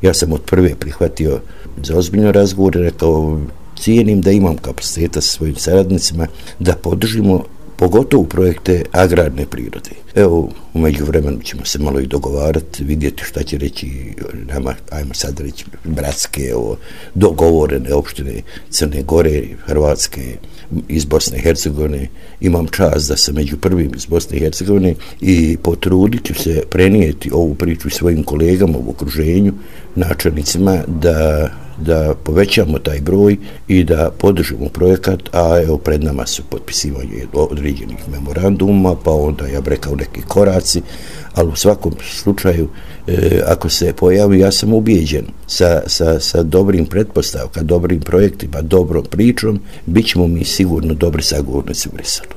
Ja sam od prve prihvatio za ozbiljno razgovor i rekao, cijenim da imam kapaciteta sa svojim saradnicima da podržimo pogotovo projekte agrarne prirode. Evo, u međuvremenu ćemo se malo i dogovarati, vidjeti šta će reći nama, ajmo sad reći, bratske, dogovorene opštine Crne Gore, Hrvatske, iz Bosne i Hercegovine. Imam čast da sam među prvim iz Bosne i Hercegovine i potrudit ću se prenijeti ovu priču svojim kolegama u okruženju, načelnicima, da povećamo taj broj i da podržimo projekat, a evo pred nama su potpisivanje određenih memoranduma, pa onda ja bih rekao neki koraci, ali u svakom slučaju ako se pojavi, ja sam ubijeđen sa dobrim pretpostavkama, dobrim projektima, dobrom pričom, bit ćemo mi sigurno dobri sagovornici u Briselu.